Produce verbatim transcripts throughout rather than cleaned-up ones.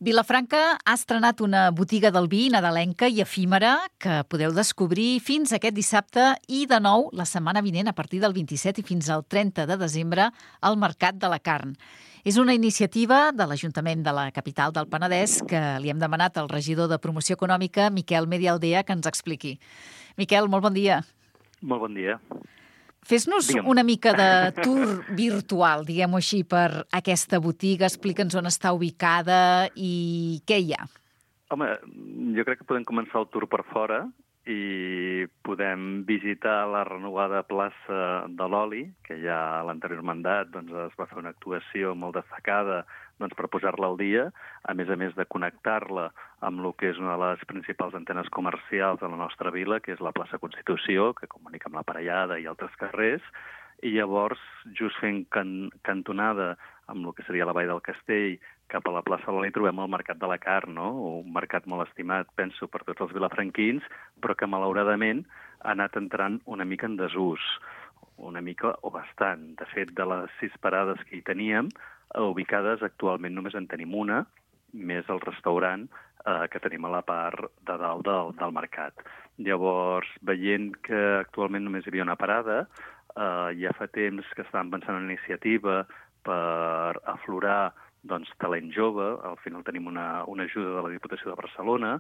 Vilafranca ha estrenat una botiga del vi nadalenca i efímera que podeu descobrir fins aquest dissabte i de nou la setmana vinent a partir del vint-i-set i fins al trenta de desembre al Mercat de la Carn. És una iniciativa de l'Ajuntament de la capital del Penedès que li hem demanat al regidor de Promoció Econòmica, Miquel Medialdea, que ens expliqui. Miquel, molt bon dia. Molt bon dia. Fes-nos Digue'm. una mica de tour virtual, diguem-ho així, per aquesta botiga. Explica'ns on està ubicada i què hi ha. Home, jo crec que podem començar el tour per fora i podem visitar la renovada plaça de l'Oli, que ja a l'anterior mandat doncs, es va fer una actuació molt destacada doncs, per posar-la al dia, a més a més de connectar-la amb el que és una de les principals antenes comercials de la nostra vila, que és la plaça Constitució, que comunica amb la Parellada i altres carrers, i llavors, just fent can cantonada amb el que seria la Vall del Castell, cap a la plaça de l'Oli trobem el Mercat de la Carn, no? Un mercat molt estimat, penso, per tots els vilafranquins, però que malauradament ha anat entrant una mica en desús, una mica o bastant. De fet, de les sis parades que hi teníem, ubicades actualment només en tenim una, més el restaurant eh, que tenim a la part de dalt del, del mercat. Llavors, veient que actualment només hi havia una parada, eh, ja fa temps que estàvem pensant en una iniciativa per aflorar doncs, talent jove. Al final tenim una, una ajuda de la Diputació de Barcelona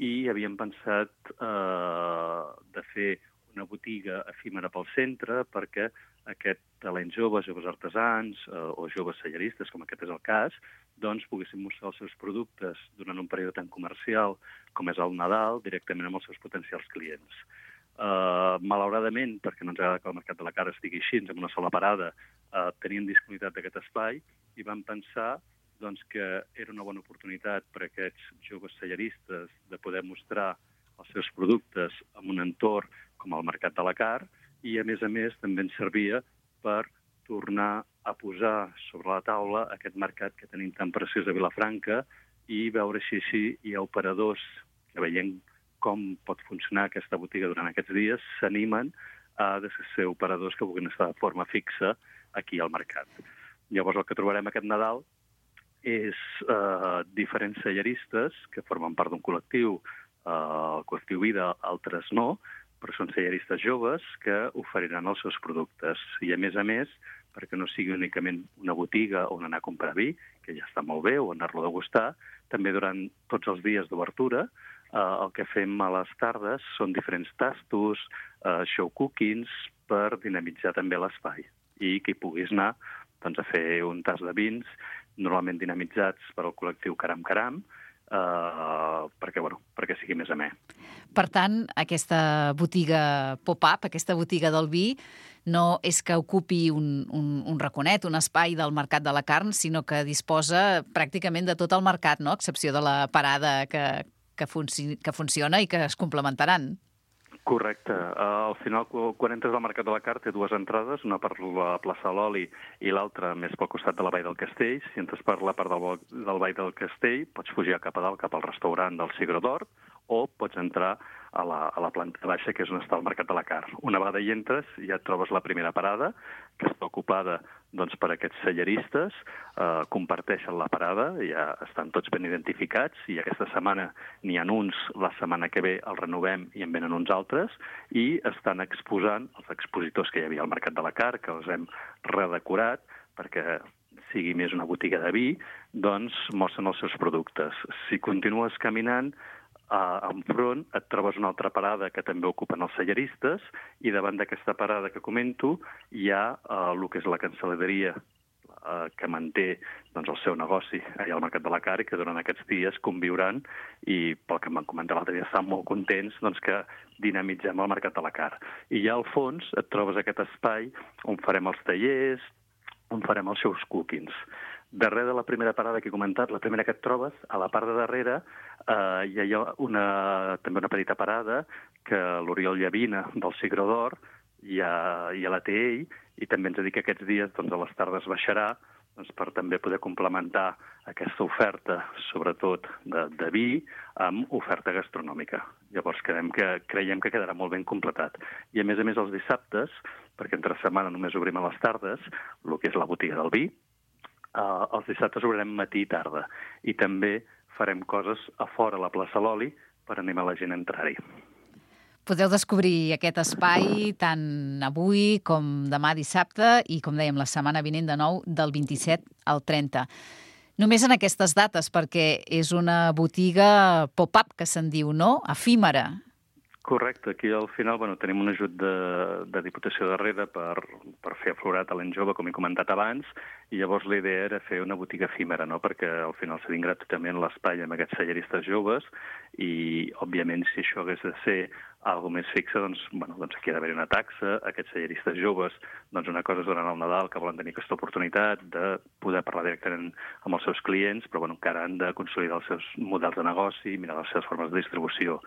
i havíem pensat eh, de fer una botiga efímera pel centre perquè aquest talent jove, joves artesans eh, o joves selleristes, com aquest és el cas, doncs poguessin mostrar els seus productes durant un període tan comercial com és el Nadal directament amb els seus potencials clients. Uh, malauradament, perquè no ens agrada que el Mercat de la Carn estigui així, amb una sola parada, uh, tenien disponibilitat d'aquest espai i vam pensar doncs, que era una bona oportunitat per a aquests joves selleristes de poder mostrar els seus productes en un entorn com el Mercat de la Carn i, a més a més, també ens servia per tornar a posar sobre la taula aquest mercat que tenim tan preciós a Vilafranca i veure si així hi ha operadors que veient com pot funcionar aquesta botiga durant aquests dies, s'animen a ser operadors que vulguin estar de forma fixa aquí al mercat. Llavors el que trobarem aquest Nadal és eh, diferents selleristes que formen part d'un col·lectiu, eh, el col·lectiu Vida, altres no, però són selleristes joves que oferiran els seus productes. I a més a més, perquè no sigui únicament una botiga on anar a comprar vi, que ja està molt bé, o anar-lo a degustar, també durant tots els dies d'obertura, eh, el que fem a les tardes són diferents tastos, eh, show cookings, per dinamitzar també l'espai. I que hi puguis anar doncs, a fer un tas de vins, normalment dinamitzats per al col·lectiu Caram Caram, Uh, perquè, bueno, perquè sigui més amè. Per tant, aquesta botiga pop-up, aquesta botiga del vi, no és que ocupi un, un, un raconet, un espai del Mercat de la Carn, sinó que disposa pràcticament de tot el mercat, no? A excepció de la parada que, que, funci que funciona i que es complementaran. Correcte. Uh, al final, quan entres al Mercat de la Carn, té dues entrades, una per la plaça de l'Oli i l'altra més pel costat de la Vall del Castell. Si entres per la part del, del Vall del Castell, pots fugir cap a dalt, cap al restaurant del Sigro d'Or, o pots entrar a la, a la planta baixa, que és on està el Mercat de la Carn. Una vegada hi entres, ja et trobes la primera parada, que està ocupada doncs, per aquests selleristes, eh, comparteixen la parada, ja estan tots ben identificats, i aquesta setmana n'hi ha uns, la setmana que ve el renovem i en venen uns altres, i estan exposant els expositors que hi havia al Mercat de la Carn, que els hem redecorat, perquè sigui més una botiga de vi, doncs mostren els seus productes. Si continues caminant, Uh, enfront et trobes una altra parada que també ocupen els selleristes i davant d'aquesta parada que comento hi ha uh, el que és la cancel·leria uh, que manté doncs, el seu negoci allà al Mercat de la Carn i que durant aquests dies conviuran i pel que em van comentar l'altre dia estan molt contents doncs, que dinamitzem el Mercat de la Carn. I ja al fons et trobes aquest espai on farem els tallers, on farem els seus cookings. Darrere de la primera parada que he comentat, la primera que et trobes, a la part de darrere eh, hi ha una, també una petita parada que l'Oriol Llavina del Sigro d'Or ja, ja la té ell i també ens ha dit que aquests dies doncs, a les tardes baixarà doncs, per també poder complementar aquesta oferta, sobretot de, de vi, amb oferta gastronòmica. Llavors creiem que, creiem que quedarà molt ben completat. I a més a més els dissabtes, perquè entre setmana només obrim a les tardes, el que és la botiga del vi, Uh, els dissabtes obrirem matí i tarda i també farem coses a fora a la plaça Loli per animar la gent a entrar-hi. Podeu descobrir aquest espai tant avui com demà dissabte i, com dèiem, la setmana vinent de nou del vint-i-set al trenta. Només en aquestes dates, perquè és una botiga pop-up, que se'n diu, no? Efímera. Correcte. Aquí al final bueno, tenim un ajut de, de Diputació darrere per, per fer aflorar talent jove, com he comentat abans, i llavors la idea era fer una botiga efímera, no? Perquè al final cedim gratuïtament l'espai amb aquests talleristes joves i, òbviament, si això hagués de ser algo més fixe, doncs, bueno, doncs aquí ha d'haver una taxa. Aquests talleristes joves, doncs una cosa és durant el Nadal, que volen tenir aquesta oportunitat de poder parlar directament amb els seus clients, però bueno, encara han de consolidar els seus models de negoci, mirar les seves formes de distribució.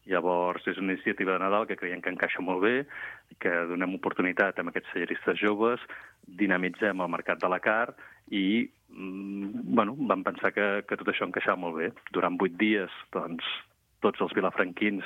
Llavors, és una iniciativa de Nadal que creiem que encaixa molt bé, que donem oportunitat amb aquests talleristes joves, dinamitzem el mercat de la carn i bueno, vam pensar que, que tot això encaixava molt bé. Durant vuit dies, doncs, tots els vilafranquins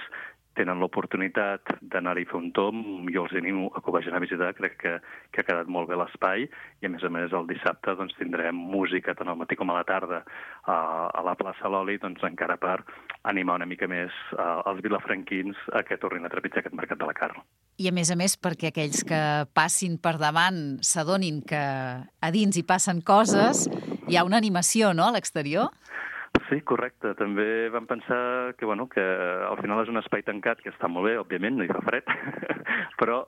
tenen l'oportunitat d'anar-hi a fer un tomb. Jo els animo a que ho vagin a visitar, crec que, que ha quedat molt bé l'espai, i a més a més el dissabte doncs, tindrem música tant al matí com a la tarda a, a la plaça Loli, doncs, encara per animar una mica més uh, els vilafranquins a que tornin a trepitjar aquest mercat de la carn. I a més a més perquè aquells que passin per davant s'adonin que a dins hi passen coses, hi ha una animació, no?, a l'exterior? Sí, correcte. També vam pensar que, bueno, que al final és un espai tancat, que està molt bé, òbviament, no hi fa fred, però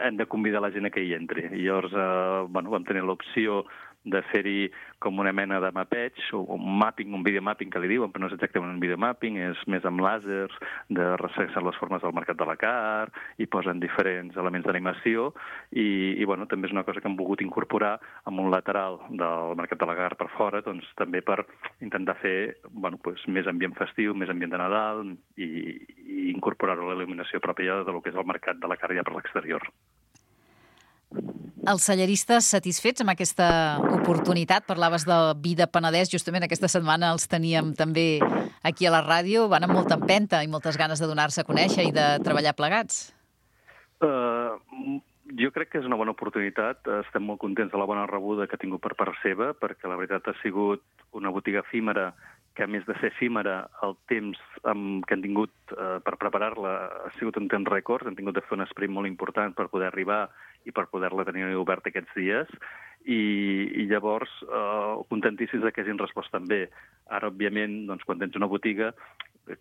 hem de convidar la gent a que hi entri. I llavors eh, bueno, vam tenir l'opció de fer-hi com una mena de mapeig, o un mapping, un videomapping que li diuen, però no és exactament un videomapping, és més amb làsers, de resseguir les formes del mercat de la carn, i posen diferents elements d'animació, i, i bueno, també és una cosa que hem volgut incorporar amb un lateral del mercat de la carn per fora, doncs també per intentar fer bueno, pues, més ambient festiu, més ambient de Nadal, i, i incorporar-ho a la il·luminació pròpia del que és el mercat de la carn ja per l'exterior. Els celleristes satisfets amb aquesta oportunitat? Parlaves de Vi de Penedès, justament aquesta setmana els teníem també aquí a la ràdio, van amb molta empenta i moltes ganes de donar-se a conèixer i de treballar plegats. Uh, jo crec que és una bona oportunitat, estem molt contents de la bona rebuda que ha tingut per part seva, perquè la veritat ha sigut una botiga efímera que, a més de ser efímera, el temps amb, que han tingut eh, per preparar-la ha sigut un temps rècord. Han tingut de fer un sprint molt important per poder arribar i per poder-la tenir oberta aquests dies. I, i llavors, eh, contentíssims que hagin respost també. Ara, òbviament, doncs, quan tens una botiga,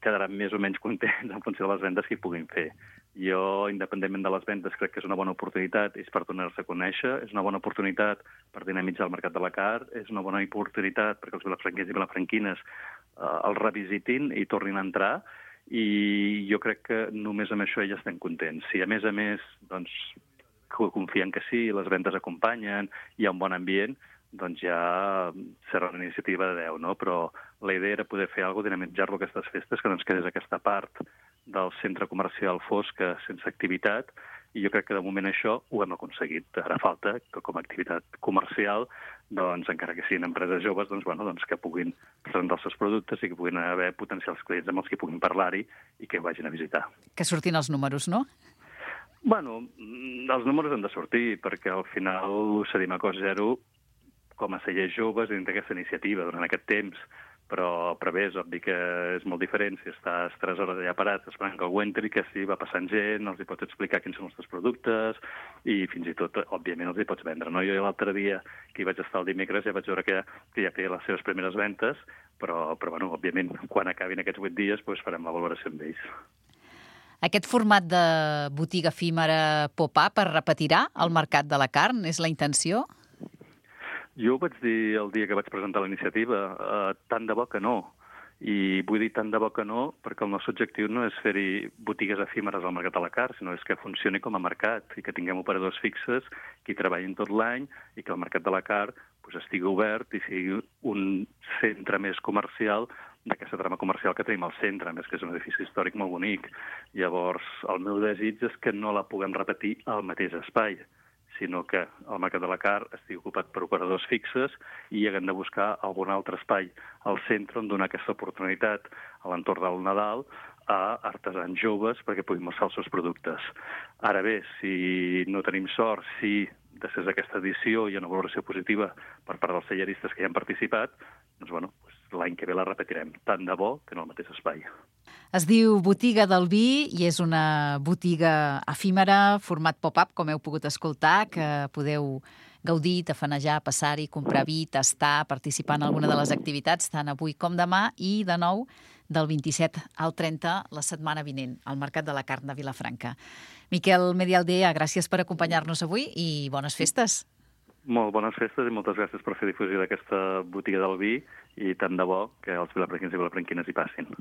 quedaran més o menys contents en funció de les vendes que hi puguin fer. Jo, independentment de les vendes, crec que és una bona oportunitat, és per donar-se a conèixer, és una bona oportunitat per dinamitzar el mercat de la carn, és una bona oportunitat perquè els vilafranquins i vilafranquines eh, els revisitin i tornin a entrar, i jo crec que només amb això ja estem contents. Si a més a més doncs, confien que sí, les vendes acompanyen, hi ha un bon ambient, doncs ja serà una iniciativa de deu, no? Però la idea era poder fer alguna cosa, dinamitzar-lo aquestes festes, que no ens quedés aquesta part del centre comercial fosca sense activitat, i jo crec que de moment això ho hem aconseguit. Ara falta que com a activitat comercial, doncs, encara que siguin empreses joves, doncs, bueno, doncs, que puguin presentar els seus productes i que puguin haver potencials clients amb els que puguin parlar-hi i que vagin a visitar. Que surtin els números, no? Bueno, els números han de sortir, perquè al final ho cedim a cost zero com a cellers joves dins d'aquesta iniciativa durant aquest temps, però, però bé, és obvi que és molt diferent si estàs tres hores allà parats esperant que algú entri, que si va passant gent, els hi pots explicar quins són els teus productes i fins i tot, òbviament, els hi pots vendre. No? Jo l'altre dia, que hi vaig estar el dimecres, ja vaig veure que, que ja feia les seves primeres ventes, però, però bueno, òbviament, quan acabin aquests vuit dies, doncs farem la valoració amb ells. Aquest format de botiga efímera pop-up es repetirà al mercat de la carn? És la intenció? Jo ho vaig dir el dia que vaig presentar la iniciativa, eh, tant de bo que no. I vull dir tant de bo que no perquè el nostre objectiu no és fer-hi botigues efímeres al mercat de la carn, sinó és que funcioni com a mercat i que tinguem operadors fixes que hi treballin tot l'any i que el mercat de la carn pues, estigui obert i sigui un centre més comercial d'aquesta trama comercial que tenim al centre, a més que és un edifici històric molt bonic. Llavors, el meu desig és que no la puguem repetir al mateix espai, sinó que el mercat de la carn estigui ocupat per operadors fixes i haguem de buscar algun altre espai al centre on donar aquesta oportunitat a l'entorn del Nadal a artesans joves perquè puguin mostrar els seus productes. Ara bé, si no tenim sort, si després d'aquesta edició hi ha una valoració positiva per part dels celleristes que hi han participat, doncs, bueno, doncs l'any que ve la repetirem, tant de bo que en el mateix espai. Es diu Botiga del Vi i és una botiga efímera, format pop-up, com heu pogut escoltar, que podeu gaudir, tafanejar, passar-hi, comprar vi, tastar, participar en alguna de les activitats, tant avui com demà, i de nou del vint-i-set al trenta la setmana vinent, al Mercat de la Carn de Vilafranca. Miquel Medialdea, gràcies per acompanyar-nos avui i bones festes. Molt bones festes i moltes gràcies per fer difusió d'aquesta botiga del vi i tant de bo que els vilafranquins i vilafranquines hi passin.